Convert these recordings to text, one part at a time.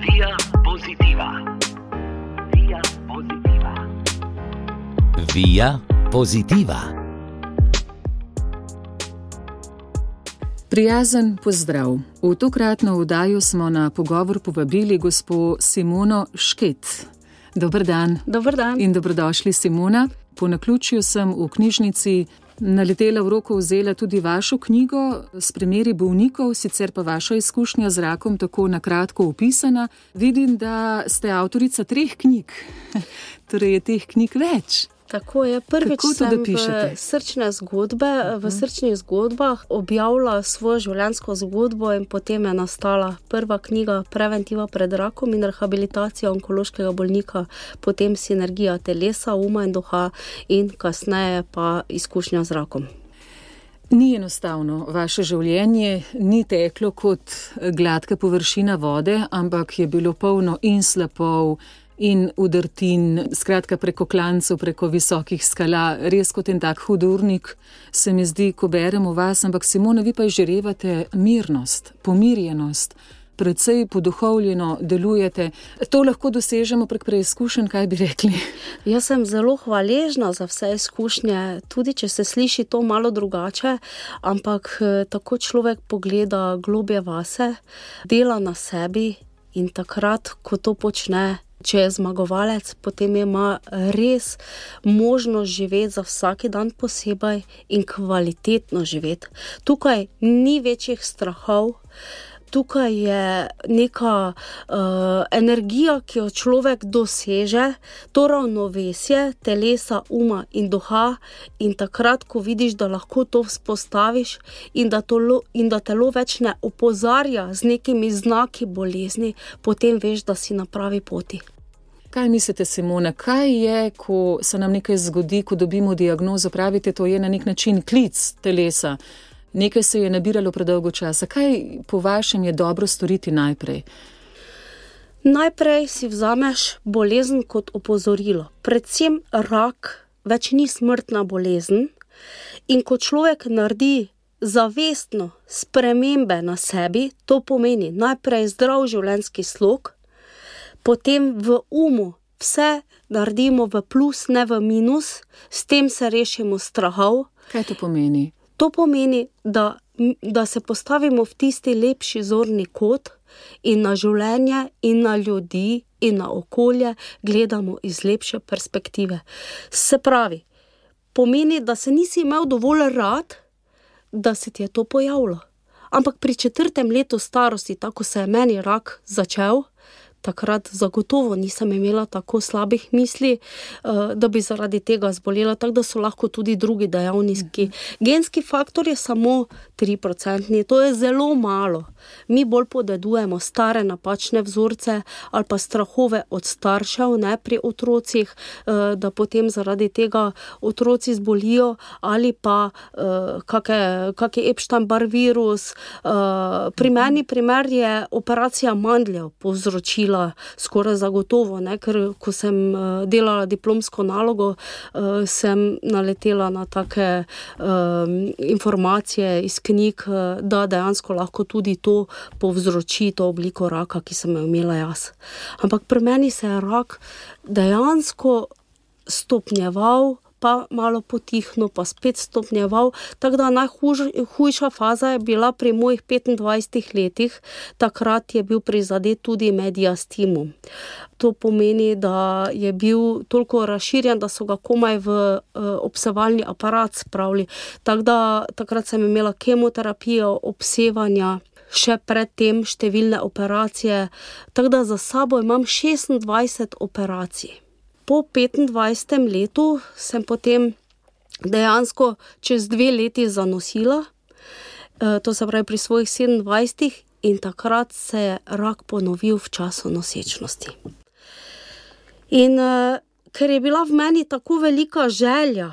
Via Positiva. Via Positiva. Via Positiva. Prijazen pozdrav. V tokratno oddajo smo na pogovor povabili gospo Simono Šket. Dober dan. Dober dan. In dobrodošli, Simona. Po naključju sem v knjižnici naletela v roko, vzela tudi vašo knjigo s primeri bolnikov, sicer pa vaša izkušnja z rakom tako na kratko opisana. Vidim, da ste avtorica 3 knjig, torej je teh knjig več. Tako je. Prvič sem v srčnih zgodbah objavila svojo življenjsko zgodbo in potem je nastala prva knjiga Preventiva pred rakom in rehabilitacija onkološkega bolnika, potem Sinergija telesa, uma in duha in kasneje pa izkušnja z rakom. Ni enostavno, vaše življenje ni teklo kot gladka površina vode, ampak je bilo polno in slapov, in udrtin, skratka preko klancev, preko visokih skala, res kot en tak hudurnik se mi zdi, ko berem o vas, ampak Simona, vi pa izžarevate mirnost, pomirjenost, precej poduhovljeno delujete. To lahko dosežemo prek preizkušenj, kaj bi rekli? Jaz sem zelo hvaležna za vse izkušnje, tudi če se sliši to malo drugače, ampak tako človek pogleda globje vase, dela na sebi in takrat, ko to počne, če je zmagovalec, potem ima res možnost živeti za vsaki dan posebej in kvalitetno živeti. Tukaj ni večjih strahov, tukaj je neka energija, ki jo človek doseže, to ravnovesje telesa, uma in duha, in takrat, ko vidiš, da lahko to vzpostaviš in da telo več ne opozarja z nekimi znaki bolezni, potem veš, da si na pravi poti. Kaj mislite, Simona, kaj je, ko se nam nekaj zgodi, ko dobimo diagnozo, pravite, to je na nek način klic telesa, nekaj se je nabiralo predolgo časa. Kaj po vašem je dobro storiti najprej? Najprej si vzameš bolezen kot opozorilo. Predvsem rak več ni smrtna bolezen in ko človek naredi zavestno spremembe na sebi, to pomeni najprej zdrav življenjski slog, potem v umu vse naredimo v plus, ne v minus, s tem se rešimo strahov. Kaj to pomeni? To pomeni, da se postavimo v tisti lepši zorni kot in na življenje in na ljudi in na okolje gledamo iz lepše perspektive. Se pravi, pomeni, da se nisi imel dovolj rad, da se ti je to pojavilo. Ampak pri 4. letu starosti, tako se je meni rak začel, takrat zagotovo nisem imela tako slabih misli, da bi zaradi tega zbolela, tako da so lahko tudi drugi dejavniki. Genski faktor je samo 3%, to je zelo malo. Mi bolj podedujemo stare napačne vzorce ali pa strahove od staršev, ne pri otrocih, da potem zaradi tega otroci zbolijo ali pa kaki Epstein-Barr virus. Pri meni primer je operacija mandljev povzročila skoraj zagotovo, ne? Ker ko sem delala diplomsko nalogo, sem naletela na take informacije iz knjig, da dejansko lahko tudi to povzroči to obliko raka, ki sem jo imela jaz. Ampak pri meni se je rak dejansko stopnjeval, pa malo potihno, pa spet stopnjeval, tako da najhujša faza je bila pri mojih 25 letih, takrat je bil prizadet tudi mediastimum. To pomeni, da je bil toliko razširjen, da so ga komaj v obsevalni aparat spravili. Tako da takrat sem imela kemoterapijo, obsevanja, še predtem številne operacije, tako da za sabo imam 26 operacij. Po 25. letu sem potem dejansko čez 2 leti zanosila, to se pravi pri svojih 27, in takrat se je rak ponovil v času nosečnosti. In ker je bila v meni tako velika želja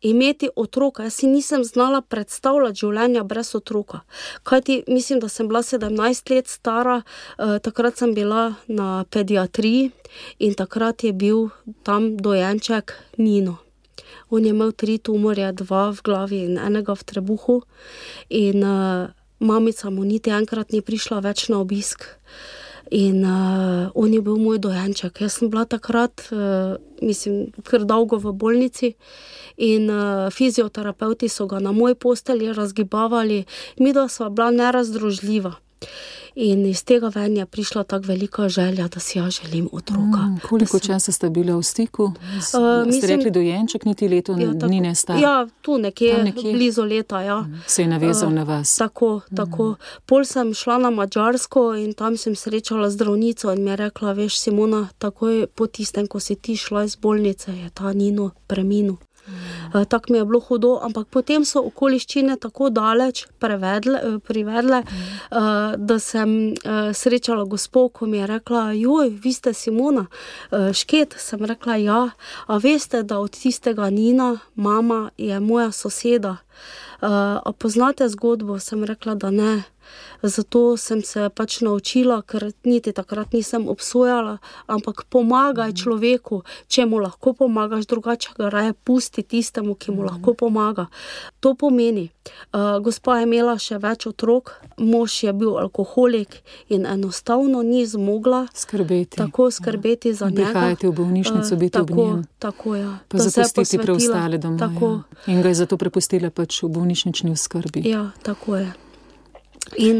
imeti otroka, jaz si nisem znala predstavljati življenja brez otroka. Kajti mislim, da sem bila 17 let stara, takrat sem bila na pediatriji in takrat je bil tam dojenček Nino. On je imel 3 tumorje, 2 v glavi in 1 v trebuhu in mamica mu niti enkrat ni prišla več na obisk. In on je bil moj dojenček. Jaz sem bila takrat, kar dolgo v bolnici in fizioterapeuti so ga na moji postelji razgibavali. Midva sva bila nerazdružljiva. In iz tega ven je prišla tako velika želja, da si ja želim otroka. Koliko časa sta bila v stiku? Ste rekli dojenček, niti leto dni ne star? Ja, tu nekje, blizu leta, ja. Se je navezal na vas? Tako. Pol sem šla na Madžarsko in tam sem srečala zdravnico in mi je rekla, veš, Simona, takoj po tistem, ko si ti šla iz bolnice, je ta Nino preminil. Tako mi je bilo hudo, ampak potem so okoliščine tako daleč privedle, da sem srečala gospo, ko mi je rekla, joj, vi ste Simona Šket, sem rekla, ja, a veste, da od tistega Nina, mama je moja soseda, a poznate zgodbo, sem rekla, da ne. Zato sem se pač naučila, ker niti takrat nisem obsojala, ampak pomagaj človeku, če mu lahko pomagaš, drugače ga raje pusti tistemu, ki mu lahko pomaga. To pomeni, gospa je imela še več otrok, mož je bil alkoholik in enostavno ni zmogla tako skrbeti za njega. Prihajati v bolnišnico, biti ob njem. Tako, ja. Pa zapustiti preostale doma. In ga je zato prepustila pač v bolnišnični oskrbi. Ja, tako je.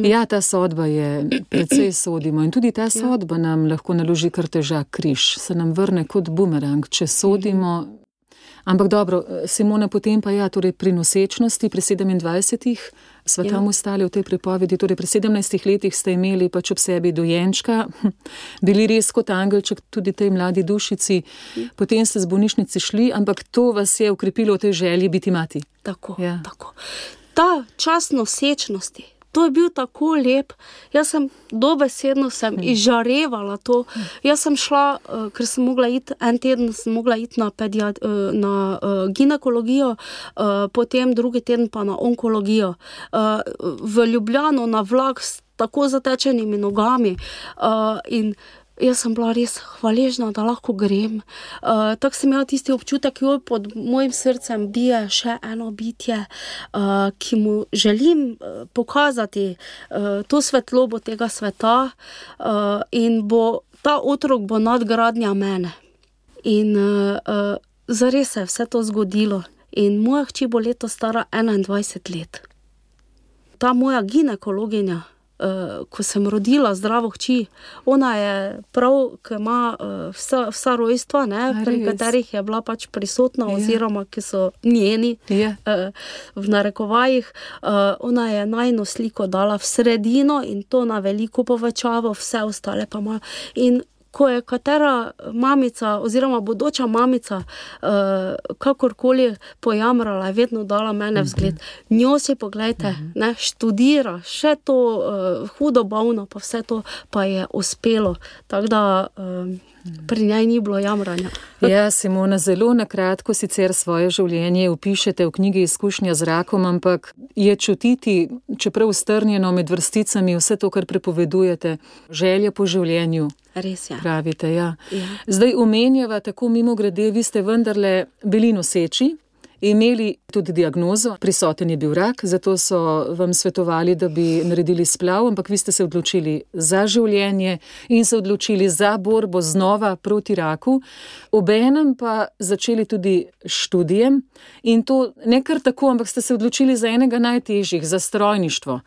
Ja, ta sodba je, precej sodimo in tudi ta sodba nam lahko naloži kar težak križ, se nam vrne kot bumerang, če sodimo. Ampak dobro, Simona, potem pa ja, torej pri nosečnosti, pri 27 sva tam ostali v tej pripovedi, torej pri 17 letih ste imeli pač ob sebi dojenčka, bili res kot angelček tudi tej mladi dušici, potem ste z bolnišnice šli, ampak to vas je ukrepilo v tej želji biti mati. Tako. Ta čas nosečnosti, to je bil tako lep, jaz sem dobesedno izžarevala to. Jaz sem šla, ker sem mogla iti, en teden sem mogla iti na ginekologijo, potem drugi teden pa na onkologijo. V Ljubljano na vlak s tako zatečenimi nogami in jaz sem bila res hvaležna, da lahko grem. Tako sem imela tisti občutek, jo pod mojim srcem bije še eno bitje, ki mu želim pokazati to svetlobo tega sveta in ta otrok bo nadgradnja mene. In zares se je vse to zgodilo. In moja hči bo letos stara 21 let. Ta moja ginekologinja, ko sem rodila zdravo hči, ona je prav, ki ima vsa rojstva, pri katerih je bila pač prisotna, oziroma ki so njeni, v narekovajih, ona je najino sliko dala v sredino in to na veliko povečavo, vse ostale pa malo. In ko je katera mamica oziroma bodoča mamica kakorkoli pojamrala, je vedno dala mene vzgled. Njo si poglejte, študira, še to hudo bolno, pa vse to pa je uspelo. Tako da pri njej ni bilo jamranja. Ja, Simona, zelo na kratko sicer svoje življenje opišete v knjigi Izkušnja z rakom, ampak je čutiti, čeprav strnjeno med vrsticami, vse to, kar prepovedujete, želja po življenju. Res je. Pravite, ja. Zdaj omenjava tako mimogrede, vi ste vendarle bili noseči, imeli tudi diagnozo, prisoten je bil rak, zato so vam svetovali, da bi naredili splav, ampak vi ste se odločili za življenje in se odločili za borbo znova proti raku. Obenem pa začeli tudi študijem in to ne kar tako, ampak ste se odločili za enega najtežjih, za strojništvo.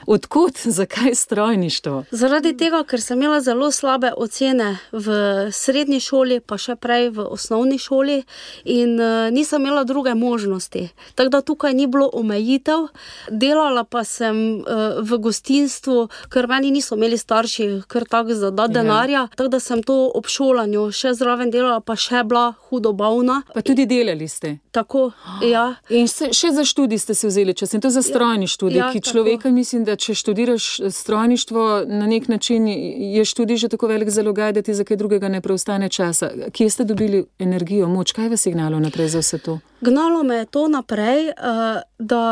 Odkot, zakaj strojništvo? Zaradi tega, ker sem imela zelo slabe ocene v srednji šoli, pa še prej v osnovni šoli in nisem imela druge možnosti. Tako da tukaj ni bilo omejitev. Delala pa sem v gostinstvu, ker meni niso imeli starši kar tako za denarja, tako da sem to ob šolanju še zraven delala, pa še bila hudo bolna. Pa tudi delali ste? Tako, ja. In še za študij ste se vzeli čas, in to za strojni študij, ki človeka, mislim, da če študiraš strojništvo, na nek način je študij že tako velik zalogaj, da ti za kaj drugega ne preostane časa. Kje ste dobili energijo, moč? Kaj vas je gnalo naprej za vse to? Gnalo me je to naprej, da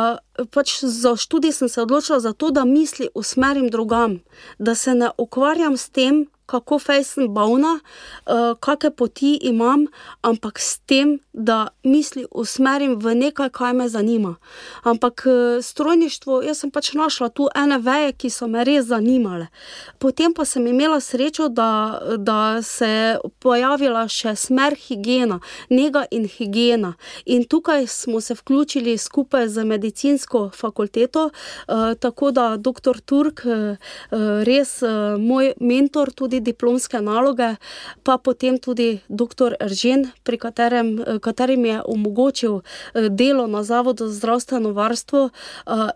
pač za študij sem se odločila za to, da misli usmerim drugam, da se ne ukvarjam s tem, kako fejsem bolna, kakšne poti imam, ampak s tem, da misli usmerim v nekaj, kaj me zanima. Ampak strojništvo, jaz sem pač našla tu ene veje, ki so me res zanimale. Potem pa sem imela srečo, da se je pojavila še smer higiena, nega in higiena. In tukaj smo se vključili skupaj z medicinsko fakulteto, tako da doktor Turk, res moj mentor, tudi diplomske naloge, pa potem tudi doktor Eržen, katerim je omogočil delo na Zavodu za zdravstveno varstvo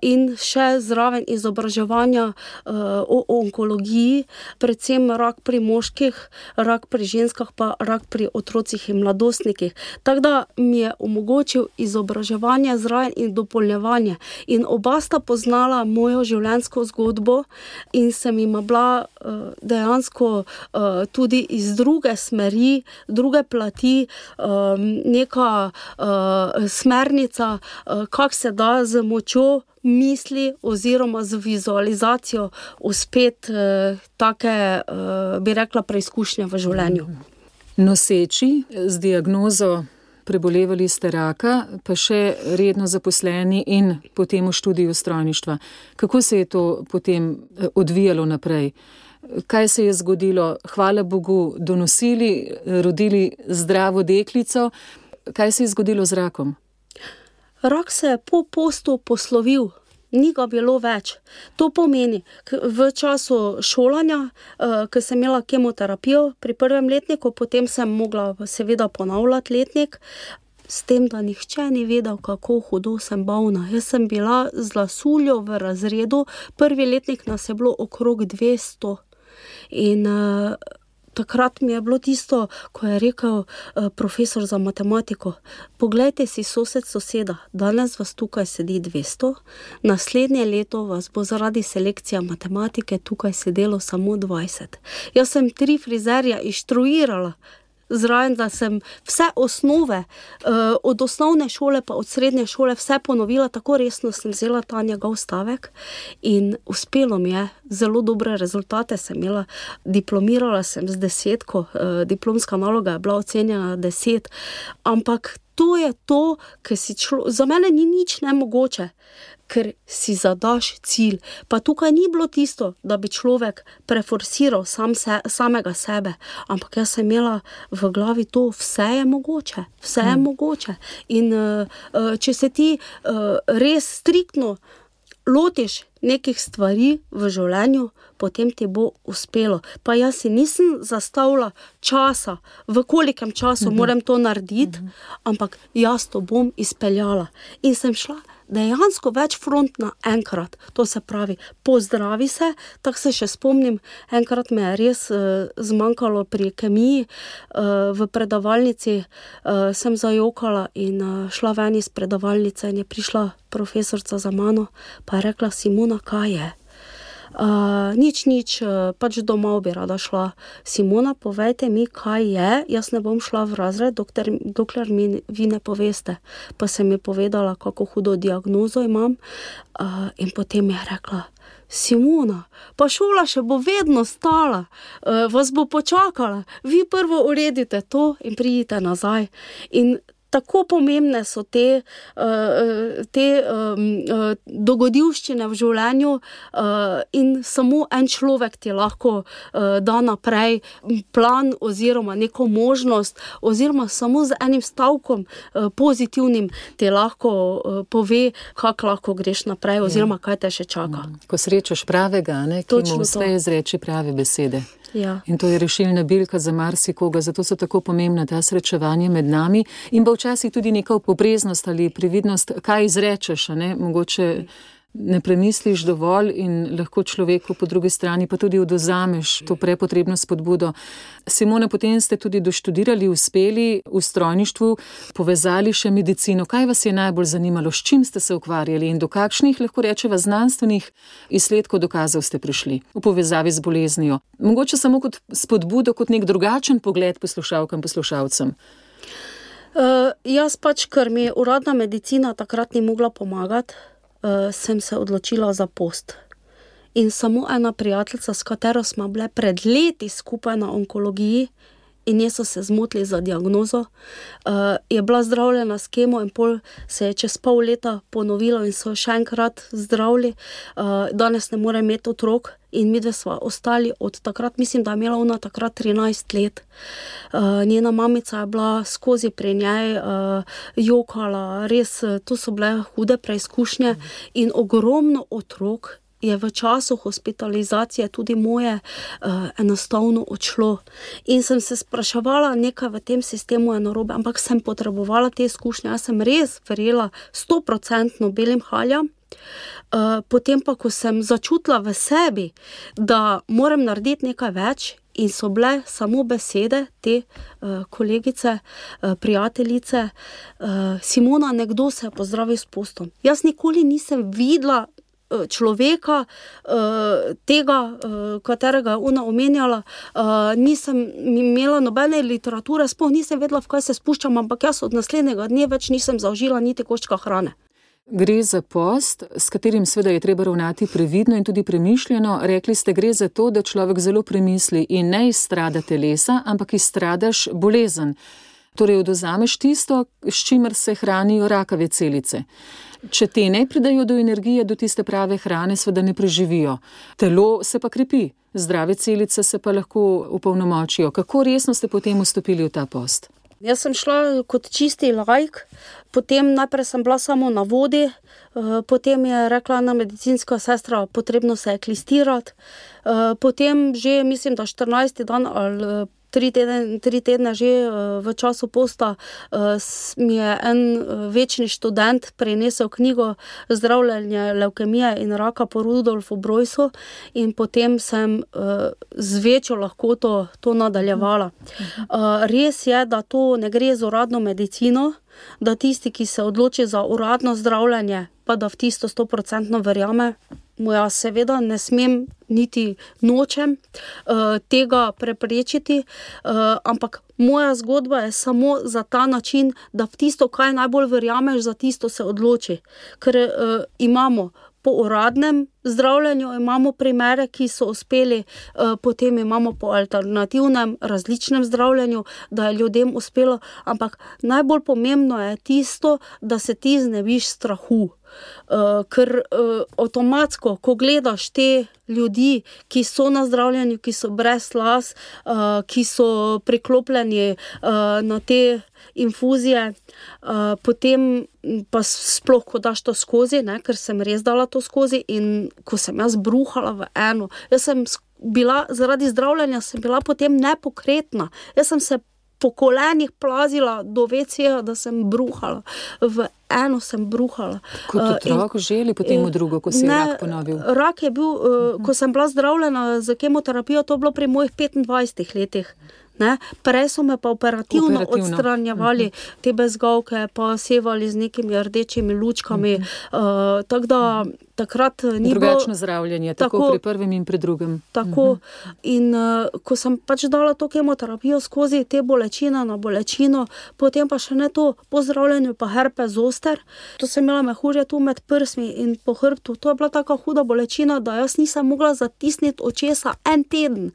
in še zraven izobraževanja o onkologiji, predvsem rak pri moških, rak pri ženskah, pa rak pri otrocih in mladostnikih. Tako da mi je omogočil izobraževanje zraven in dopolnjevanje. In oba sta poznala mojo življenjsko zgodbo in sem jima bila dejansko tudi iz druge smeri, druge plati, neka smernica, kako se da z močjo misli oziroma z vizualizacijo uspeti take, bi rekla, preizkušnje v življenju. Noseči z diagnozo prebolevali ste raka, pa še redno zaposleni in potem v študiju strojništva. Kako se je to potem odvijalo naprej? Kaj se je zgodilo? Hvala Bogu, donosili, rodili zdravo deklico. Kaj se je zgodilo z rakom? Rak se je po postu poslovil. Ni ga bilo več. To pomeni, v času šolanja, ko sem imela kemoterapijo pri prvem letniku, potem sem mogla seveda ponavljati letnik, s tem, da nihče ni vedel, kako hudo sem bolna. Jaz sem bila z lasuljo v razredu, prvi letnik nas je bilo okrog 200. In takrat mi je bilo tisto, ko je rekel profesor za matematiko, poglejte si soseda, danes vas tukaj sedi 200, naslednje leto vas bo zaradi selekcije matematike tukaj sedelo samo 20. Jaz sem 3 frizerja inštruirala zraven, da sem vse osnove, od osnovne šole pa od srednje šole vse ponovila, tako resno sem vzela ta njegov stavek in uspelo mi je, zelo dobre rezultate sem imela, diplomirala sem z 10, diplomska naloga je bila ocenjena 10, ampak to je to, ker za mene ni nič nemogoče, ker si zadaš cilj. Pa tukaj ni bilo tisto, da bi človek preforsiral samega sebe, ampak jaz sem imela v glavi to, vse je mogoče, vse je mogoče. In če se ti res striktno lotiš nekih stvari v življenju, potem ti bo uspelo. Pa jaz si nisem zastavila časa, v kolikem času moram to narediti, ampak jaz to bom izpeljala. In sem šla dejansko več front na enkrat. To se pravi, pozdravi se, tako se še spomnim, enkrat me je res zmanjkalo pri kemiji, v predavalnici sem zajokala in šla ven iz predavalnice in je prišla profesorca za mano, pa je rekla, Simona, kaj je? Nič, pač domov bi rada šla. Simona, povejte mi, kaj je, jaz ne bom šla v razred, dokler mi vi ne poveste. Pa sem mi povedala, kako hudo diagnozo imam, in potem je rekla, Simona, pa šola še bo vedno stala, vas bo počakala, vi prvo uredite to in pridite nazaj. In tako pomembne so te dogodivščine v življenju in samo en človek ti lahko da naprej plan oziroma neko možnost oziroma samo z enim stavkom pozitivnim ti lahko pove, kako lahko greš naprej oziroma kaj te še čaka. Ko srečaš pravega, ki mu uspe izreči prave besede. Ja. In to je rešilna bilka za marsikoga, zato so tako pomembna ta srečevanja med nami in pa včasih tudi neka popreznost ali previdnost, kaj izrečeš, mogoče ne premisliš dovolj in lahko človeku po drugi strani pa tudi odvzameš to prepotrebno spodbudo. Simona, potem ste tudi doštudirali, uspeli v strojništvu, povezali še medicino. Kaj vas je najbolj zanimalo, s čim ste se ukvarjali in do kakšnih, lahko rečeva, znanstvenih izsledkov, dokazov ste prišli v povezavi z boleznijo? Mogoče samo kot spodbudo, kot nek drugačen pogled poslušalkam, poslušalcem. Jaz pač, ker mi uradna medicina takrat ni mogla pomagati, sem se odločila za post. in samo ena prijateljica, s katero smo bile pred leti skupaj na onkologiji in nje so se zmotili za diagnozo, je bila zdravljena s kemo in pol se je čez pol leta ponovilo in so še enkrat zdravili. Danes ne more imeti otrok in midve sva ostali od takrat, mislim, da je imela ona takrat 13 let. Njena mamica je bila skozi pri njej, jokala, res, to so bile hude preizkušnje in ogromno otrok je v času hospitalizacije tudi moje enostavno odšlo. In sem se spraševala, nekaj v tem sistemu je narobe, ampak sem potrebovala te izkušnje. Jaz sem res verjela 100% belim haljam. Potem pa, ko sem začutila v sebi, da moram narediti nekaj več in so bile samo besede te kolegice, prijateljice, Simona, nekdo se je pozdravil s postom. Jaz nikoli nisem videla človeka, tega, katerega je ona omenjala, nisem imela nobene literature, sploh nisem vedela, v kaj se spuščam, ampak jaz od naslednjega dne več nisem zaužila niti koščka hrane. Gre za post, s katerim seveda je treba ravnati previdno in tudi premišljeno. Rekli ste, gre za to, da človek zelo premisli in ne izstrada telesa, ampak izstradaš bolezen. Torej odvzameš tisto, s čimer se hranijo rakave celice. Če te ne pridajo do energije, do tiste prave hrane, seveda ne preživijo. Telo se pa krepi, zdrave celice se pa lahko opolnomočijo. Kako resno ste potem vstopili v ta post? Jaz sem šla kot čisti laik, potem najprej sem bila samo na vodi, potem je rekla ena medicinska sestra, potrebno se je klistirati, potem že mislim, da 14. dan ali 3 tedne že v času posta mi je en večni študent prinesel knjigo Zdravljenje levkemije in raka po Rudolfu Broysu in potem sem z večjo lahkoto to nadaljevala. Res je, da to ne gre z uradno medicino, da tisti, ki se odloči za uradno zdravljenje, pa da v tisto 100% verjame. Jaz seveda ne smem niti nočem tega preprečiti, ampak moja zgodba je samo za ta način, da v tisto, kaj najbolj verjameš, za tisto se odloči. Ker imamo po uradnem zdravljenju, imamo primere, ki so uspeli, potem imamo po alternativnem, različnem zdravljenju, da je ljudem uspelo, ampak najbolj pomembno je tisto, da se ti znebiš strahu. Ker avtomatsko, ko gledaš te ljudi, ki so na zdravljenju, ki so brez las, ki so priklopljeni na te infuzije, potem pa sploh, ko daš to skozi, ne, ker sem res dala to skozi in ko sem jaz bruhala v eno, jaz sem bila, zaradi zdravljenja sem bila potem nepokretna, jaz sem se po kolenih plazila do WC-ja, da sem bruhala, v eno sem bruhala. Kot otrok že ali potem v drugo, ko si je rak ponovil? Rak je bil, ko sem bila zdravljena z kemoterapijo, to je bilo pri mojih 25 letih. Ne? Prej so me pa operativno odstranjevali te bezgavke, pa sevali z nekimi rdečimi lučkami, tako da takrat ni bilo... Drugačno zdravljenje, tako pri prvem in pri drugem. Tako, in ko sem pač dala to kemoterapijo skozi te bolečine na bolečino, potem pa še ne to, po zdravljenju pa herpes zoster, to sem imela mehurje tu med prsmi in po hrbtu, to je bila taka huda bolečina, da jaz nisem mogla zatisniti očesa en teden.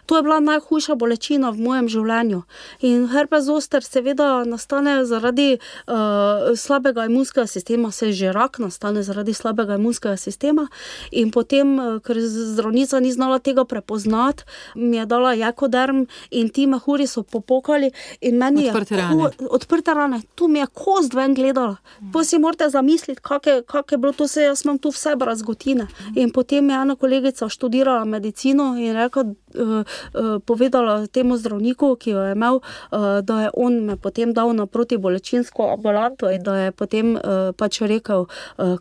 To je bila najhujša bolečina v mojem življenju. In herpes zoster seveda nastane zaradi slabega imunskega sistema, se že rak nastane zaradi slabega imunskega sistema in potem, ker zdravnica ni znala tega prepoznati, mi je dala jekoderm in ti mehuri so popokali in meni odprte rane. Tu mi je kost ven gledala. Pa si morate zamisliti, kak je bilo to, se jaz imam tu vse brazgotine. In potem je ena kolegica študirala medicino in rekla, povedala temu zdravniku, ki jo je imel, da je on me potem dal na protibolečinsko ambulanto in da je potem pač rekel,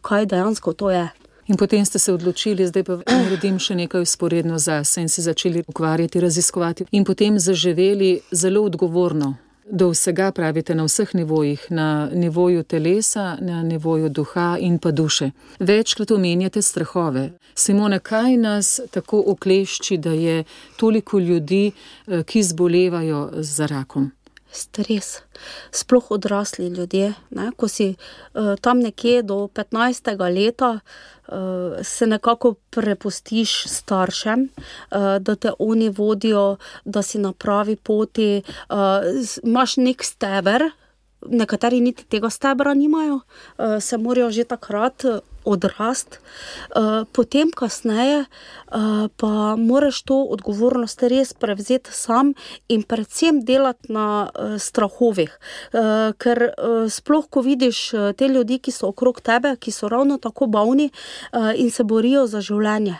kaj dejansko to je. In potem ste se odločili, zdaj pa naredim še nekaj vzporedno zase in se začeli ukvarjati, raziskovati in potem zaživeli zelo odgovorno. Do vsega pravite na vseh nivojih, na nivoju telesa, na nivoju duha in pa duše. Večkrat omenjate strahove. Simona, kaj nas tako oklešči, da je toliko ljudi, ki zbolevajo za rakom? stres. Sploh odrasli ljudje, ne? Ko si tam nekje do 15. leta se nekako prepustiš staršem, da te oni vodijo, da si na pravi poti, imaš nek steber, nekateri niti tega stebra nimajo, se morajo že takrat odrast, potem kasneje pa moraš to odgovornost res prevzeti sam in predvsem delati na strahovih, ker sploh ko vidiš te ljudi, ki so okrog tebe, ki so ravno tako bolni in se borijo za življenje.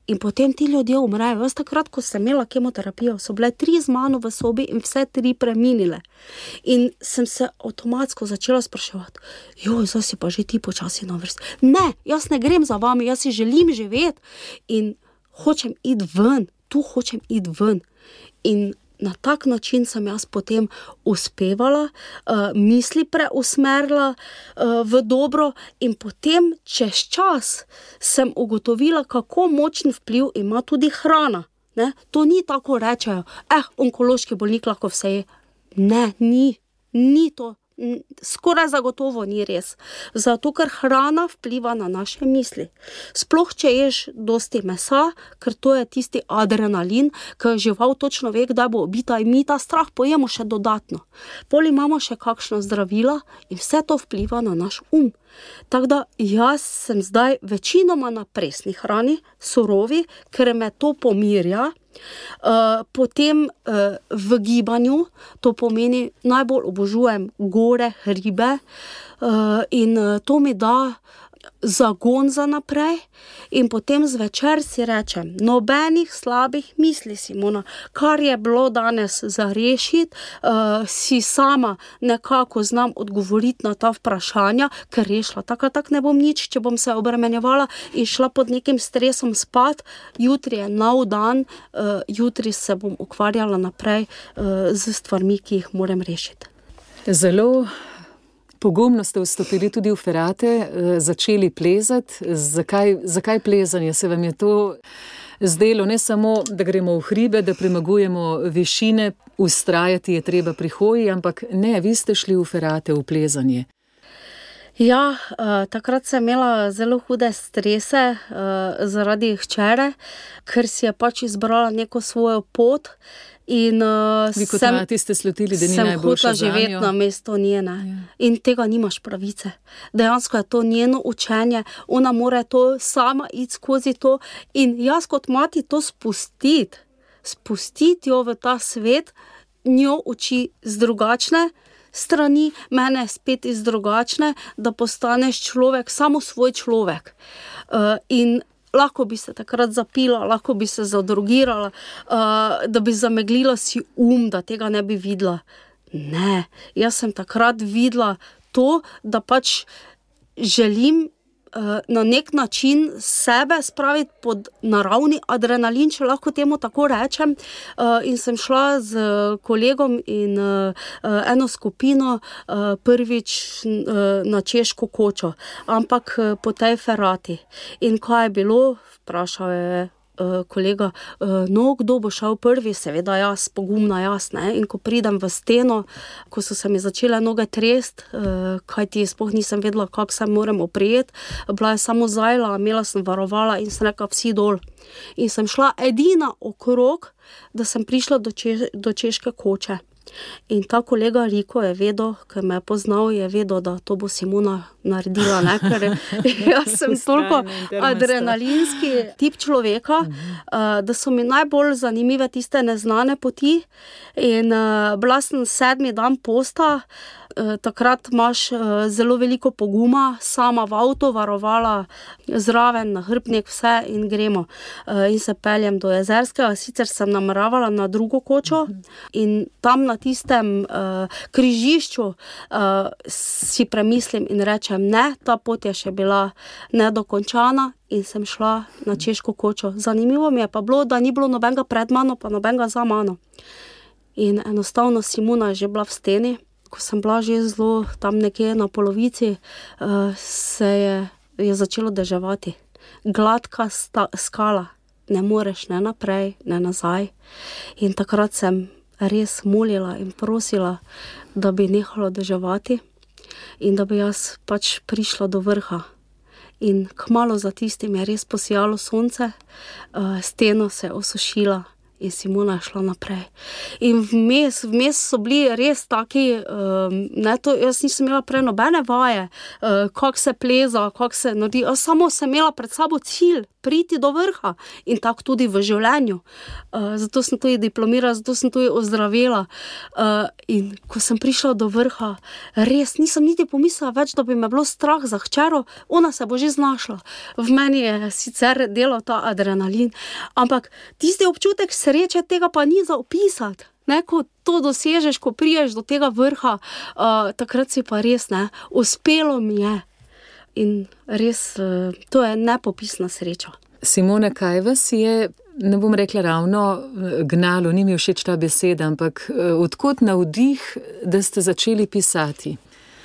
In potem ti ljudje umrejo. Jaz takrat, ko sem imela kemoterapijo, so bile 3 z mano v sobi in vse 3 preminile. In sem se avtomatsko začela spraševati, zdaj si pa že ti počasi na vrsti. Ne, jaz ne grem za vami, jaz si želim živeti in hočem iti ven, tu hočem iti ven. In na tak način sem jaz potem uspevala, misli preusmerila v dobro in potem čez čas sem ugotovila, kako močen vpliv ima tudi hrana. Ne? To ni tako rečejo, onkološki bolnik lahko vse je. Ne, ni to. Skoraj zagotovo ni res. Zato, ker hrana vpliva na naše misli. Sploh, če ješ dosti mesa, ker to je tisti adrenalin, ker žival točno ve, kdaj bo ubita in mi ta strah pojemo še dodatno. Pol imamo še kakšna zdravila in vse to vpliva na naš Tako da jaz sem zdaj večinoma na presni hrani, surovi, ker me to pomirja. Potem v gibanju, to pomeni, najbolj obožujem gore, hribe in to mi da zagon za naprej in potem zvečer si rečem, nobenih slabih misli, Simona, kar je bilo danes za rešiti, si sama nekako znam odgovoriti na ta vprašanja, ker rešila, tako ne bom nič, če bom se obremenjevala in šla pod nekim stresom spat, jutri je nov dan, jutri se bom ukvarjala naprej z stvarmi, ki jih moram rešiti. Zelo pogumno ste vstopili tudi v Ferate, začeli plezati. Zakaj plezanje? Se vam je to zdelo ne samo, da gremo v hribe, da premagujemo višine, vztrajati je treba pri hoji, ampak ne, vi ste šli v Ferate, v plezanje. Ja, takrat sem imela zelo hude strese zaradi hčere, ker si je pač izbrala neko svojo pot. In vi kot mati ste slutili, da ni najboljša zanjo. Sem hotela živeti na mesto njene. Ja. In tega nimaš pravice. Dejansko je to njeno učenje, ona mora to sama iti skozi to in jaz kot mati to spustiti jo v ta svet, njo uči z drugačne strani, mene spet iz drugačne, da postaneš človek, samo svoj človek. In lahko bi se takrat zapila, lahko bi se zadrogirala, da bi zameglila si da tega ne bi videla. Ne, jaz sem takrat videla to, da pač želim na nek način sebe spraviti pod naravni adrenalin, če lahko temu tako rečem. In sem šla z kolegom in eno skupino prvič na Češko kočo, ampak po tej Ferati. In kaj je bilo? Vprašal je kolega, kdo bo šel prvi? Seveda jaz, pogumna jaz, ne? In ko pridem v steno, ko so se mi začele noge trest, kajti sploh nisem vedela, kako se moram oprijeti, bila je samo zajla, imela sem varovala in sem rekla, vsi dol. In sem šla edina okrog, da sem prišla do Češke koče. In ta kolega Riko je vedel, ker me je poznal, je vedel, da to bo Simona naredila, ne? Ker jaz sem toliko adrenalinski tip človeka, da so mi najbolj zanimive tiste neznane poti. In bila sem 7. dan posta, takrat imaš zelo veliko poguma, sama v avto, varovala zraven, nahrbtnik, vse in gremo. In se peljem do Jezerskega, sicer sem nameravala na drugo kočo in tam na tistem križišču si premislim in rečem, ne, ta pot je še bila nedokončana in sem šla na Češko kočo. Zanimivo mi je pa bilo, da ni bilo nobenega pred mano, pa nobenega za mano. In enostavno Simona je že bila v steni. Ko sem bila že zelo tam nekje na polovici, se je začelo deževati. Gladka skala. Ne moreš ne naprej, ne nazaj. In takrat sem res molila in prosila, da bi nehalo deževati in da bi jaz pač prišla do vrha. In kmalu za tistim je res posijalo sonce, steno se je osušila in Simona je šla naprej. In vmes so bili res taki, jaz nisem imela prej nobene vaje, kako se pleza, kako se naredi, samo sem imela pred sabo cilj, priti do vrha in tako tudi v življenju. Zato sem tudi diplomirala, zato sem tudi ozdravela. In ko sem prišla do vrha, res nisem niti pomislila več, da bi me bilo strah za hčero, ona se bo že znašla. V meni je sicer delal ta adrenalin, ampak tisti občutek sreče, tega pa ni za opisati. Ne, ko to dosežeš, ko priješ do tega vrha, takrat si pa res, uspelo mi je. In res, to je nepopisna sreča. Simona, kaj vas je, ne bom rekla ravno gnalo, ni mi všeč ta beseda, ampak odkot navdih, da ste začeli pisati?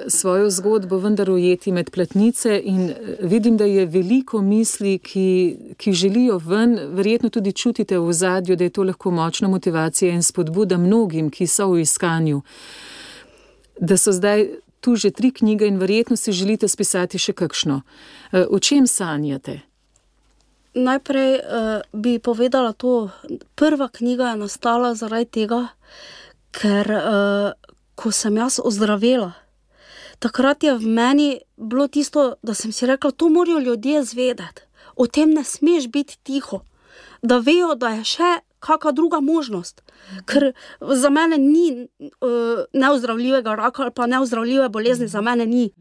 Svojo zgodbo vendar ujeti med platnice in vidim, da je veliko misli, ki želijo ven, verjetno tudi čutite v ozadju, da je to lahko močna motivacija in spodbuda mnogim, ki so v iskanju. Da so zdaj tu že 3 knjige in verjetno si želite spisati še kakšno. O čem sanjate? Najprej bi povedala to, prva knjiga je nastala zaradi tega, ker ko sem jaz ozdravela, takrat je v meni bilo tisto, da sem si rekla, to morajo ljudje zvedeti. O tem ne smeš biti tiho. Da vejo, da je še kakšna druga možnost. Ker za mene ni neozdravljivega raka ali pa neozdravljive bolezni, za mene ni.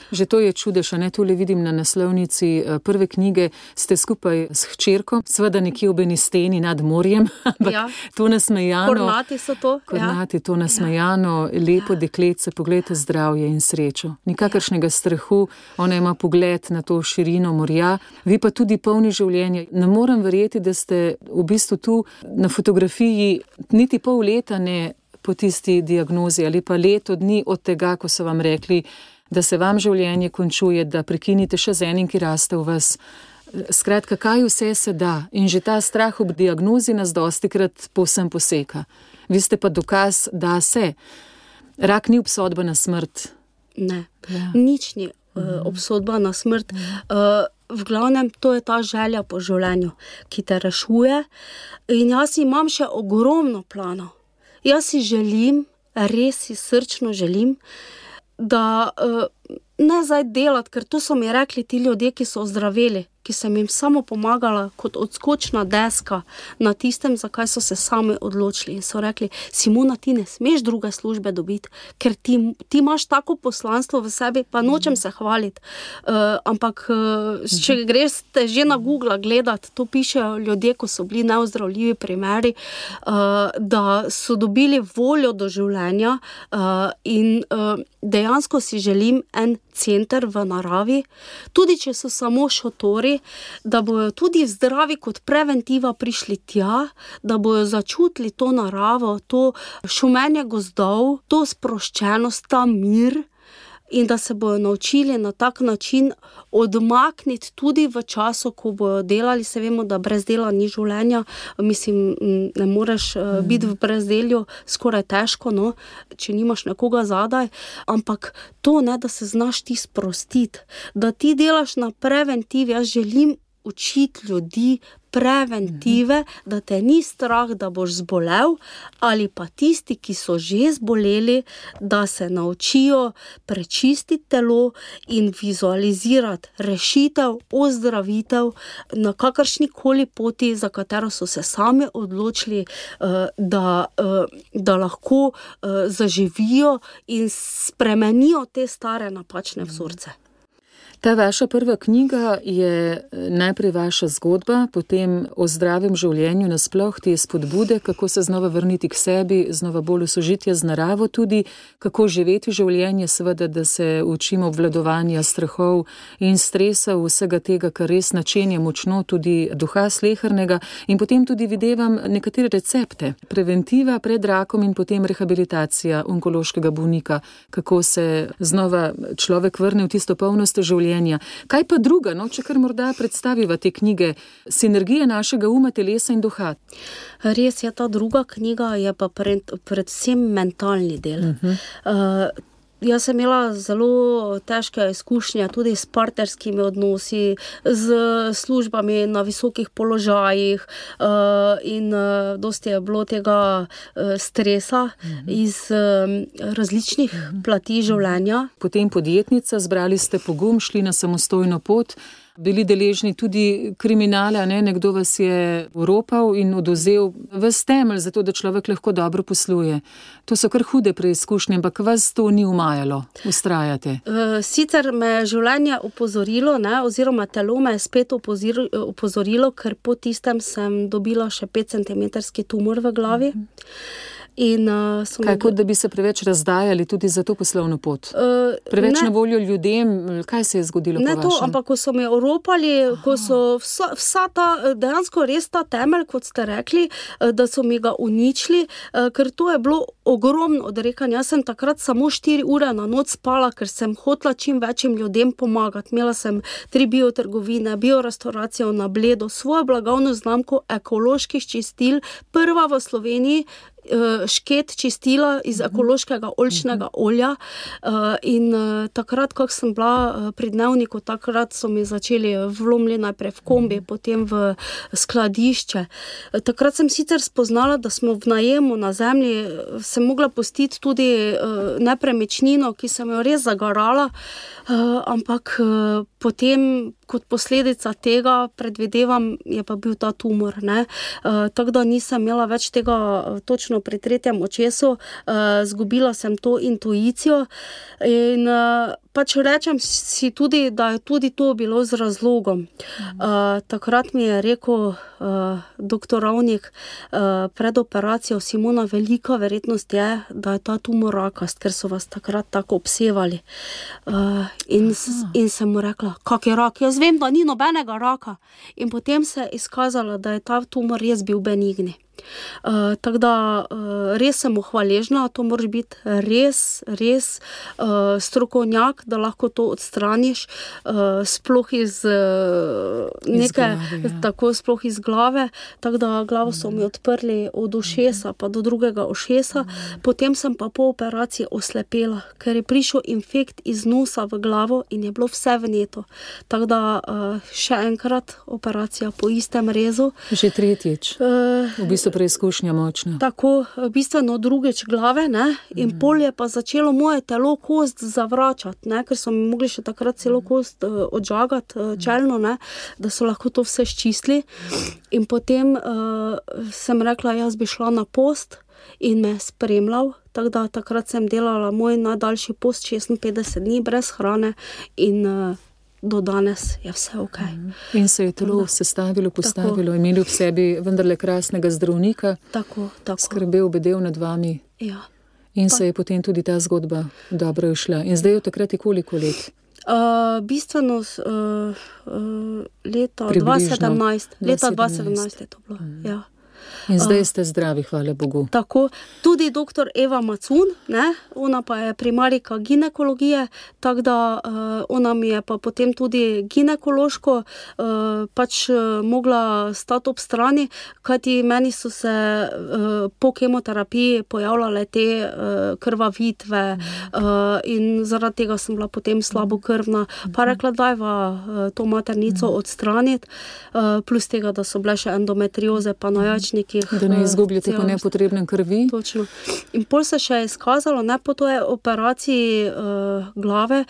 Že to je čudež, a ne, tule vidim na naslovnici prve knjige, ste skupaj s hčerko, seveda nekje ob eni steni nad morjem, ampak to nasmejano. Kornati so to. Kornati, to nasmejano, lepo deklece, pogledajte zdravje in srečo. Nikakršnega strahu, ona ima pogled na to širino morja, vi pa tudi polni življenja. Ne morem verjeti, da ste v bistvu tu na fotografiji niti pol leta ne po tisti diagnozi ali pa leto dni od tega, ko so vam rekli, da se vam življenje končuje, da prekinite še z enim, ki raste v vas. Skratka, kaj vse se da? In že ta strah ob diagnozi nas dostikrat povsem poseka. Vi ste pa dokaz, da se. Rak ni obsodba na smrt. Ne, nič ni obsodba na smrt. V glavnem, to je ta želja po življenju, ki te rešuje. In jaz imam še ogromno planov. Jaz si želim, res si srčno želim, da ne zdaj delati, ker to so mi rekli ti ljudje, ki so ozdraveli, ki sem jim samo pomagala kot odskočna deska na tistem, zakaj so se sami odločili. In so rekli, Simona, ti ne smeš druge službe dobiti, ker ti imaš tako poslanstvo v sebi, pa nočem se hvaliti. Ampak, če greš že na Google gledati, to pišejo ljudje, ko so bili neozdravljivi primeri, da so dobili voljo do življenja in dejansko si želim en center v naravi, tudi če so samo šotori, da bojo tudi zdravi kot preventiva prišli tja, da bojo začutili to naravo, to šumenje gozdov, to sproščenost, ta mir in da se bojo naučili na tak način odmakniti tudi v času, ko bojo delali. Se vemo, da brez dela ni življenja, mislim, ne moreš biti v brezdelju, skoraj težko, no, če nimaš nekoga zadaj, ampak to, ne, da se znaš ti sprostiti, da ti delaš na preventivi. Jaz želim učiti ljudi preventive, da te ni strah, da boš zbolel, ali pa tisti, ki so že zboleli, da se naučijo prečistiti telo in vizualizirati rešitev, ozdravitev na kakršnikoli poti, za katero so se sami odločili, da lahko zaživijo in spremenijo te stare napačne vzorce. Ta vaša prva knjiga je najprej vaša zgodba, potem o zdravem življenju nasploh, te spodbude, kako se znova vrniti k sebi, znova bolj v sožitje z naravo tudi, kako živeti življenje, seveda, da se učimo obvladovanja strahov in stresa, vsega tega, kar res načenja močno tudi duha slehernega, in potem tudi videvam nekatere recepte. Preventiva pred rakom in potem rehabilitacija onkološkega bolnika, kako se znova človek vrne v tisto polnost življenja življenja. Kaj pa druga, če kar morda predstaviva te knjige, Sinergija našega uma, telesa in duha? Res je, ta druga knjiga je pa predvsem mentalni del. Jaz sem imela zelo težke izkušnje tudi s partnerskimi odnosi, z službami na visokih položajih in dosti je bilo tega stresa iz različnih plati življenja. Potem podjetnica, zbrali ste pogum, šli na samostojno pot, bili deležni tudi kriminala, nekdo vas je oropal in odvzel ves temelj za to, da človek lahko dobro posluje. To so kar hude preizkušnje, ampak vas to ni umajalo, vztrajate. Sicer me je življenje opozorilo, oziroma telo me je spet opozorilo, ker po tistem sem dobila še 5-centimetrski tumor v glavi. Kot da bi se preveč razdajali tudi za to poslovno pot? Preveč na voljo ljudem? Kaj se je zgodilo po vašem? Ne to, ampak ko so me oropali, ko so vsa ta, dejansko res ta temelj, kot ste rekli, da so mi ga uničili, ker to je bilo ogromno odrekanje. Jaz sem takrat samo 4 ure na noč spala, ker sem hotela čim večjim ljudem pomagati. Imela sem 3 biotrgovine, biorestauracijo na Bledu, svojo blagovno znamko ekoloških čistil, prva v Sloveniji, šket čistila iz ekološkega oljčnega olja in takrat, kako sem bila pri Dnevniku, takrat so mi začeli vlomili najprej v kombi, potem v skladišče. Takrat sem sicer spoznala, da smo v najemu na zemlji, sem mogla pustiti tudi nepremičnino, ki sem jo res zagarala, ampak potem kot posledica tega, predvidevam, je pa bil ta tumor. Tako da nisem imela več tega točno pri 3. očesu, zgubila sem to intuicijo in pač rečem si tudi, da je tudi to bilo z razlogom. Takrat mi je rekel doktor Ravnik pred operacijo: Simona, velika verjetnost je, da je ta tumor rakast, ker so vas takrat tako obsevali. In sem mu rekla: kak je rak? Jaz vem, da ni nobenega raka. In potem se je izkazalo, da je ta tumor res bil benigni. Tako da res sem mu hvaležna, to moraš biti res strokovnjak, da lahko to odstraniš, sploh iz sploh iz glave. Tako da glavo so mi odprli od ušesa pa do drugega ušesa, potem sem pa po operaciji oslepela, ker je prišel infekt iz nosa v glavo in je bilo vse vneto. Tako da še enkrat operacija po istem rezu. Že tretjič. V bistvu preizkušnja močna. Tako, bistveno drugič glave, in pol je pa začelo moje telo kost zavračati, ker so mi mogli še takrat celo kost odžagati čelno, da so lahko to vse ščistili. In potem sem rekla, jaz bi šla na post in me spremljal, tako da takrat sem delala moj najdaljši post, 56 dni brez hrane in do danes je vse ok. In se je telo sestavilo, postavilo, imeli v sebi vendarle krasnega zdravnika, tako. Skrbel, bedel nad vami. Ja. In se je potem tudi ta zgodba dobro išla. In zdaj je takrat koliko let? Bistveno leta 2017. Leta 2017 je to bilo, ja. In zdaj ste zdravi, hvala Bogu. Tako, tudi doktor Eva Macun, ona pa je primarika ginekologije, tako da ona mi je pa potem tudi ginekološko pač mogla stati ob strani, kajti meni so se po kemoterapiji pojavljale te krvavitve in zaradi tega sem bila potem slabokrvna. Pa rekla, dajva to maternico odstraniti, plus tega, da so bile še endometrioze pa na jajčnikih. Da ne izgubljate po nepotrebnem krvi. Točno. In pol se še je izkazalo, po toj operaciji glave,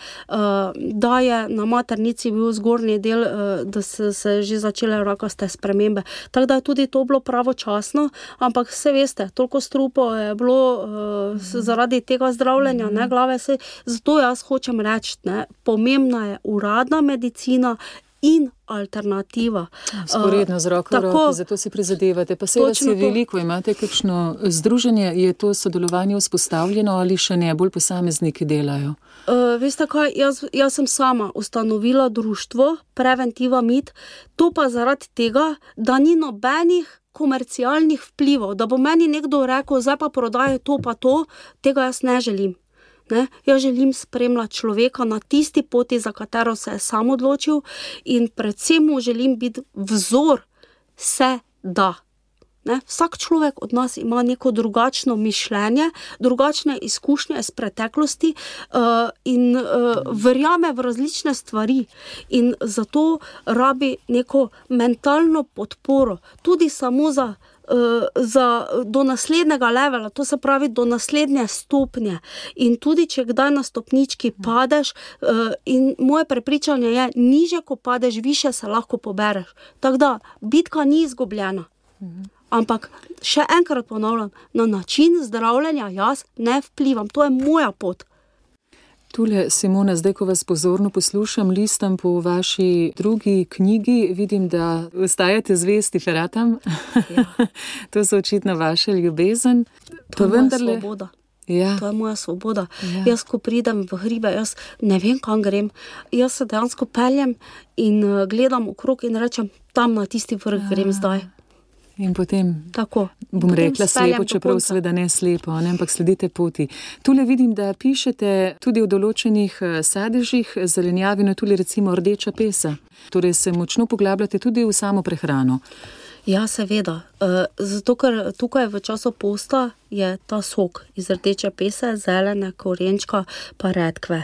da je na maternici bil zgornji del, da se že začele rakaste spremembe. Tako da je tudi to bilo pravočasno, ampak se veste, toliko strupov je bilo zaradi tega zdravljenja, glave se. Zato jaz hočem reči, pomembna je uradna medicina in alternativa. Sporedno z roko v roki, zato si prizadevate. Pa se vas je veliko, imate kakšno združenje, je to sodelovanje vzpostavljeno ali še ne, bolj posamezniki delajo? Veste kaj, jaz sem sama ustanovila društvo Preventiva MIT, to pa zaradi tega, da ni nobenih komercialnih vplivov, da bo meni nekdo rekel, zdaj pa prodajo to pa to, tega jaz ne želim. Ne? Jaz želim spremljati človeka na tisti poti, za katero se je sam odločil, in predvsem mu želim biti vzor, se da. Ne? Vsak človek od nas ima neko drugačno mišljenje, drugačne izkušnje iz preteklosti in verjame v različne stvari. In zato rabi neko mentalno podporo, tudi samo do naslednjega levela, to se pravi do naslednje stopnje. In tudi, če kdaj na stopnički padeš, in moje prepričanje je, niže ko padeš, više se lahko pobereš. Tako da, bitka ni izgubljena. Ampak še enkrat ponavljam, na način zdravljenja jaz ne vplivam, to je moja pot. Tule, Simona, zdaj, ko vas pozorno poslušam, listam po vaši drugi knjigi, vidim, da ostajate zvesti feratam. Ja. To so očitno vaša ljubezen. To je moja svoboda. Ja. To je moja svoboda. Ja. Jaz, ko pridem v hribe, jaz ne vem, kam grem. Jaz se dejansko peljem in gledam okrog in rečem, tam na tisti vrh grem zdaj. In potem, tako, bom rekla slepo, čeprav seveda ne slepo, ne, ampak sledite poti. Tule vidim, da pišete tudi o določenih sadežih, zelenjavi, no tule recimo rdeča pesa. Torej se močno poglabljate tudi v samo prehrano. Ja, seveda. Zato, ker tukaj v času posta je ta sok iz rdeče pese, zelene, korenčka pa redkve.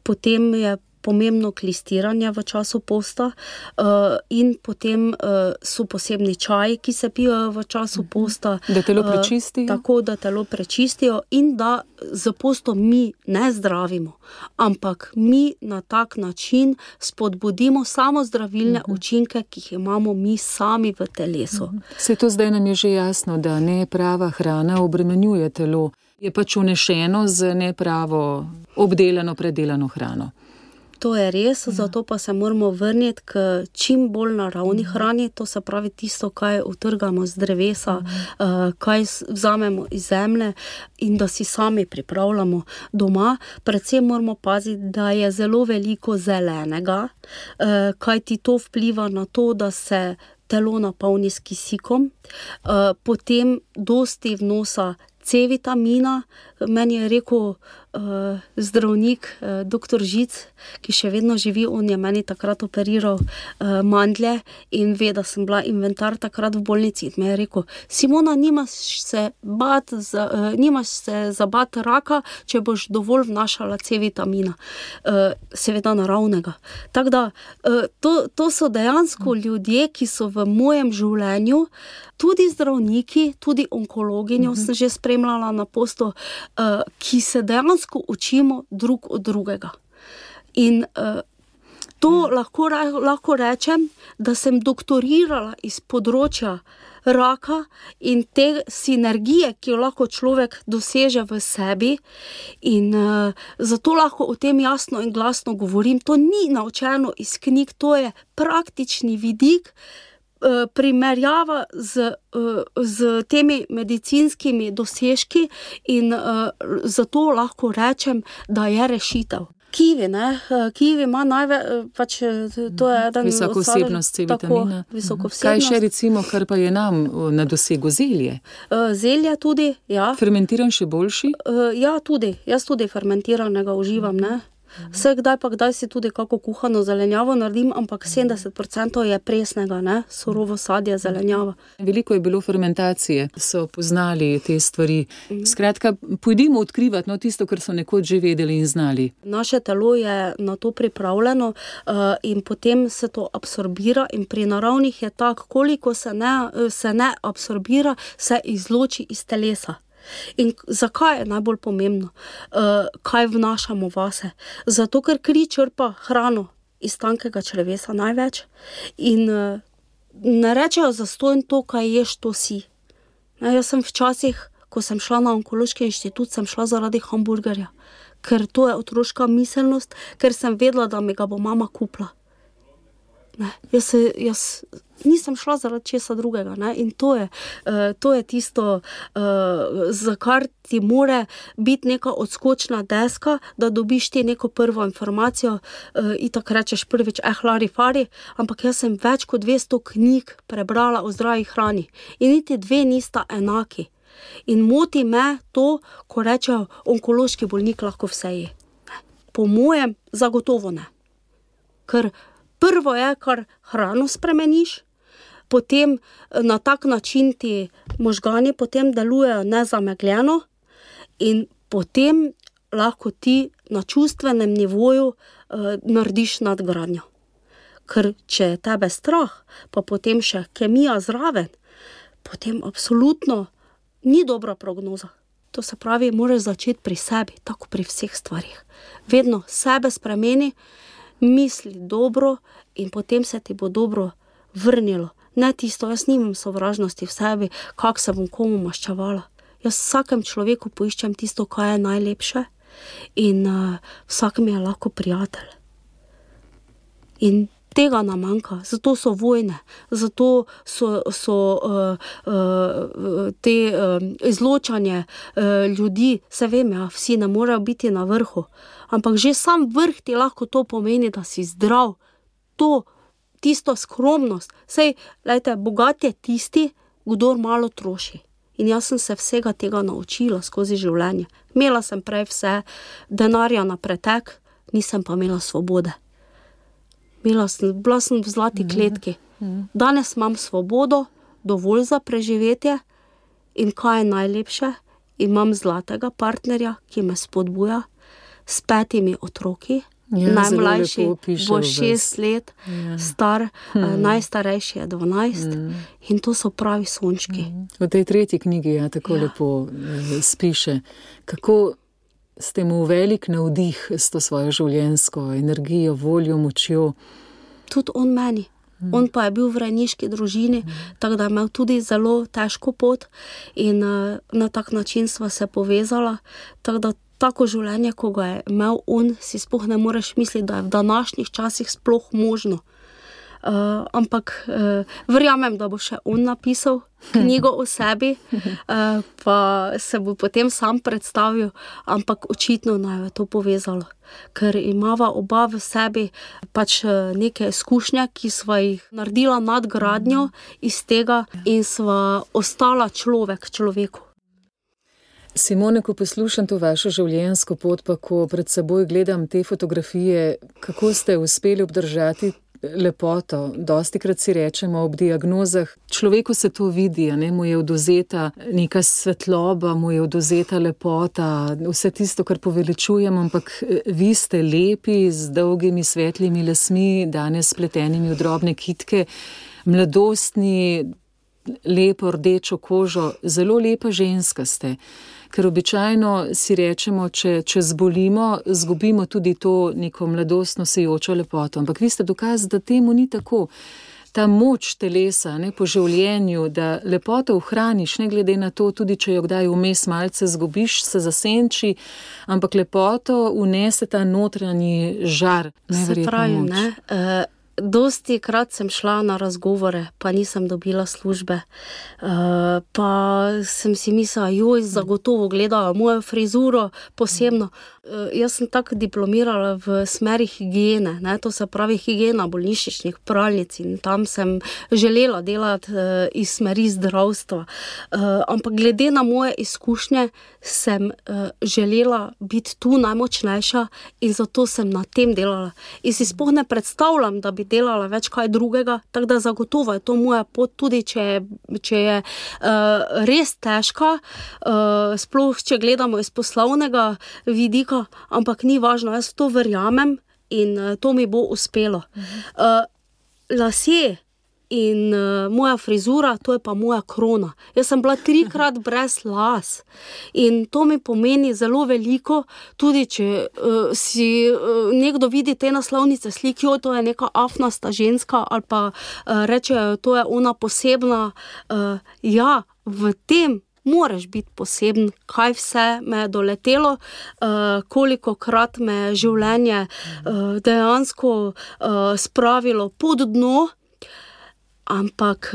Potem je pomembno klistiranje v času posta in potem so posebni čaji, ki se pijo v času posta. Da telo prečistijo? Tako, da telo prečistijo in da z postom mi ne zdravimo, ampak mi na tak način spodbudimo samo zdravilne učinke, ki jih imamo mi sami v telesu. Vse to zdaj nam je že jasno, da neprava hrana obremenjuje telo. Je pač vnešeno z nepravo obdelano, predelano hrano. To je res, zato pa se moramo vrniti k čim bolj naravni hrani, to se pravi tisto, kaj utrgamo z drevesa, kaj vzamemo iz zemlje in da si sami pripravljamo doma. Predvsem moramo paziti, da je zelo veliko zelenega, kajti to vpliva na to, da se telo napolni s kisikom, potem dosti vnosa C-vitamina. Meni je rekel zdravnik, doktor Žic, ki še vedno živi, on je meni takrat operiral mandlje in ve, da sem bila inventar takrat v bolnici. In me je rekel, Simona, nimaš se za bat raka, če boš dovolj vnašala C-vitamina. Seveda naravnega. Tako da, to so dejansko ljudje, ki so v mojem življenju, tudi zdravniki, tudi onkologinjo sem že spremljala na postu, ki se dejansko učimo drug od drugega. In to lahko rečem, da sem doktorirala iz področja raka in te sinergije, ki jo lahko človek doseže v sebi, in zato lahko o tem jasno in glasno govorim. To ni naučeno iz knjig, to je praktični vidik, primerjava z temi medicinskimi dosežki in zato lahko rečem, da je rešitev. Kivi, ne? Kivi ima pač to je eden visoko vsebnost C-vitamina. Visoko vsebnost. Kaj še recimo, kar pa je nam na dosegu, zelje? Zelje tudi, ja. Fermentiran še boljši? Ja, tudi. Jaz tudi fermentiranega uživam, ne. Vse kdaj si tudi kako kuhano zelenjavo naredim, ampak 70% je presnega, ne, surovo sadje, zelenjava. Veliko je bilo fermentacije, so poznali te stvari. Skratka, pojdimo odkrivati tisto, kar so nekoč že vedeli in znali. Naše telo je na to pripravljeno in potem se to absorbira in pri naravnih je tako, koliko se ne absorbira, se izloči iz telesa. In zakaj je najbolj pomembno, kaj vnašamo vase? Zato, ker kri črpa hrano iz tankega črevesa največ in ne rečejo zastonj to, kaj ješ, to si. Jaz sem včasih, ko sem šla na onkološki inštitut, sem šla zaradi hamburgerja, ker to je otroška miselnost, ker sem vedela, da mi ga bo mama kupila. Ne, jaz nisem šla zaradi česa drugega, ne? In to je tisto, za kar ti more biti neka odskočna deska, da dobiš ti neko prvo informacijo, itak rečeš prvič, lari fari, ampak jaz sem več kot 200 knjig prebrala o zdravi hrani in niti dve nista enaki. In moti me to, ko rečejo, onkološki bolnik lahko vse je. Po mojem zagotovo ne. Ker prvo je, kar hrano spremeniš, potem na tak način ti možgani potem delujejo nezamegljeno in potem lahko ti na čustvenem nivoju narediš nadgradnjo. Ker če je tebe strah, pa potem še kemija zraven, potem absolutno ni dobra prognoza. To se pravi, moraš začeti pri sebi, tako pri vseh stvarih. Vedno sebe spremeni, misli dobro in potem se ti bo dobro vrnilo. Ne tisto, jaz nimam sovražnosti v sebi, kako se bom komu maščevala. Jaz vsakem človeku poiščem tisto, kaj je najlepše in vsak mi je lahko prijatelj. In tega nam manjka, zato so vojne, zato so te izločanje ljudi, se vem, ja, vsi ne morejo biti na vrhu, ampak že sam vrh ti lahko to pomeni, da si zdrav, tisto skromnost. Sej, lejte, bogat je tisti, kdor malo troši. In jaz sem se vsega tega naučila skozi življenje. Imela sem prej vse denarja na pretek, nisem pa imela svobode. Bila sem v zlati kletki. Danes imam svobodo, dovolj za preživetje in kaj je najlepše? Imam zlatega partnerja, ki me spodbuja s 5 otroki. Najmlajši bo 6 let, star, najstarejši je 12 in to so pravi sončki. V tej 3. knjigi tako lepo spiše, kako ste mu velik navdih s to svojo življenjsko energijo, voljo, močjo. Tudi on meni. On pa je bil v rejniški družini, tako da je imel tudi zelo težko pot in na tak način sva se povezala, tako da tako življenje, ko ga je imel on, si sploh ne moreš misliti, da je v današnjih časih sploh možno. Ampak verjamem, da bo še on napisal knjigo o sebi, pa se bo potem sam predstavil, ampak očitno naj je to povezalo. Ker imava oba v sebi pač neke izkušnje, ki sva jih naredila nadgradnjo iz tega in sva ostala človek človeku. Simone, ko poslušam to vašo življenjsko pot, pa ko pred seboj gledam te fotografije, kako ste uspeli obdržati lepoto. Dostikrat si rečemo ob diagnozah, človeku se to vidi, mu je odvzeta neka svetloba, mu je odvzeta lepota, vse tisto, kar poveličujemo, ampak vi ste lepi, z dolgimi svetlimi lasmi, danes spletenimi v drobne kitke, mladostni, lepo rdečo kožo, zelo lepa ženska ste. Ker običajno si rečemo, če zbolimo, zgubimo tudi to neko mladostno sijočo lepoto. Ampak vi ste dokaz, da temu ni tako. Ta moč telesa po življenju, da lepoto ohraniš, ne glede na to, tudi če jo kdaj vmes malce zgubiš, se zasenči, ampak lepoto unese ta notranji žar. Se pravi, ne? Dosti krat sem šla na razgovore, pa nisem dobila službe. Pa sem si mislila, zagotovo gledajo mojo frizuro posebno. Jaz sem tako diplomirala v smeri higiene, to se pravi higiena bolnišničnih pralnic in tam sem želela delati iz smeri zdravstva. Ampak glede na moje izkušnje sem želela biti tu najmočnejša in zato sem na tem delala. In si sploh ne predstavljam, da bi delala več kaj drugega, tako da zagotovo je to moja pot, tudi če je res težka, sploh če gledamo iz poslovnega vidika, ampak ni važno, jaz to verjamem in to mi bo uspelo. Lasje in moja frizura, to je pa moja krona. Jaz sem bila 3-krat brez las in to mi pomeni zelo veliko, tudi če si nekdo vidi te naslovnice slik, to je neka afnasta ženska ali pa rečejo, to je ona posebna. V tem moraš biti poseben, kaj vse me je doletelo, kolikokrat me je življenje dejansko spravilo pod dno, ampak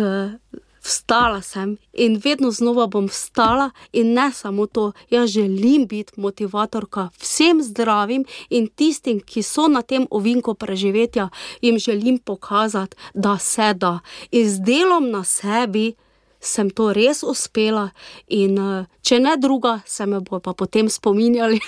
vstala sem in vedno znova bom vstala in ne samo to, jaz želim biti motivatorka vsem zdravim in tistim, ki so na tem ovinku preživetja, jim želim pokazati, da se da. In z delom na sebi sem to res uspela in če ne druga, se me bo pa potem spominjali.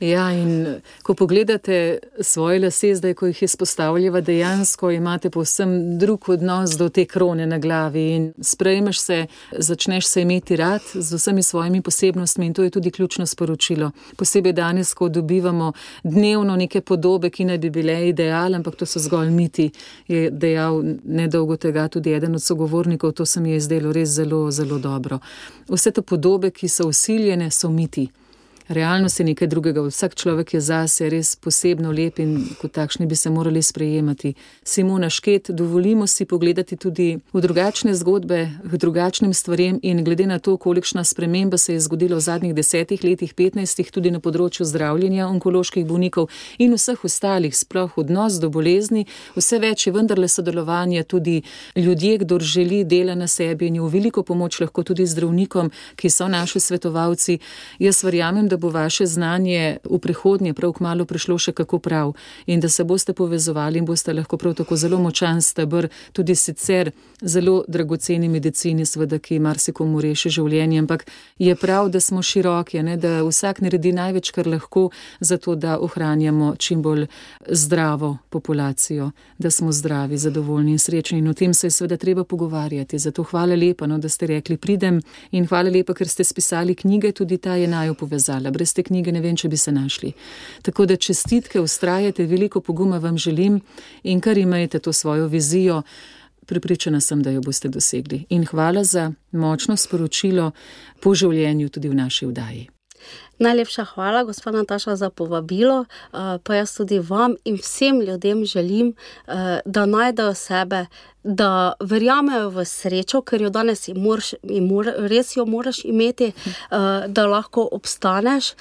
Ja, in ko pogledate svoje lase, zdaj, ko jih izpostavljava, dejansko imate povsem drug odnos do te krone na glavi in sprejmeš se, začneš se imeti rad z vsemi svojimi posebnostmi in to je tudi ključno sporočilo. Posebej danes, ko dobivamo dnevno neke podobe, ki naj bi bile ideal, ampak to so zgolj miti, je dejal nedolgo tega tudi eden od sogovornikov, to se mi je zdelo res zelo, zelo dobro. Vse te podobe, ki so vsiljene, so miti. Realnost je nekaj drugega, vsak človek je zase res posebno lep in kot takšni bi se morali sprejemati. Simona Šket, dovolimo si pogledati tudi v drugačne zgodbe, v drugačnim stvarem in glede na to, kolikšna sprememba se je zgodila v zadnjih 10 letih, 15, tudi na področju zdravljenja onkoloških bolnikov in vseh ostalih, sploh odnos do bolezni, vse več je vendarle sodelovanja tudi ljudje, kdor želi dela na sebi in je v veliko pomoč lahko tudi zdravnikom, ki so naši svetovalci. Jaz verjamem, da bo vaše znanje v prihodnje prav kmalu prišlo še kako prav in da se boste povezovali in boste lahko prav tako zelo močan steber tudi sicer zelo dragoceni medicini, seveda, ki marsikomu reši življenje, ampak je prav, da smo široki, ne, da vsak naredi največ, kar lahko, zato da ohranjamo čim bolj zdravo populacijo, da smo zdravi, zadovoljni in srečni in o tem se je seveda treba pogovarjati. Zato hvala lepa, da ste rekli pridem in hvala lepa, ker ste spisali knjige, tudi ta je naju povezala. Brez te knjige ne vem, če bi se našli. Tako da čestitke, vztrajate, veliko poguma vam želim in kar imejte to svojo vizijo, prepričana sem, da jo boste dosegli. In hvala za močno sporočilo po življenju tudi v naši oddaji. Najlepša hvala, gospa Nataša, za povabilo, pa jaz tudi vam in vsem ljudem želim, da najdejo sebe, da verjamejo v srečo, ker jo danes res jo moraš imeti, da lahko obstaneš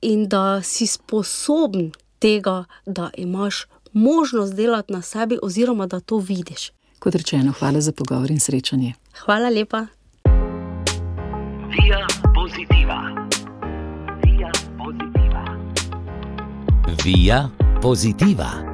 in da si sposoben tega, da imaš možnost delati na sebi oziroma da to vidiš. Kot rečeno, hvala za pogovor in srečanje. Hvala lepa. Via Positiva. Via Positiva. Via Positiva.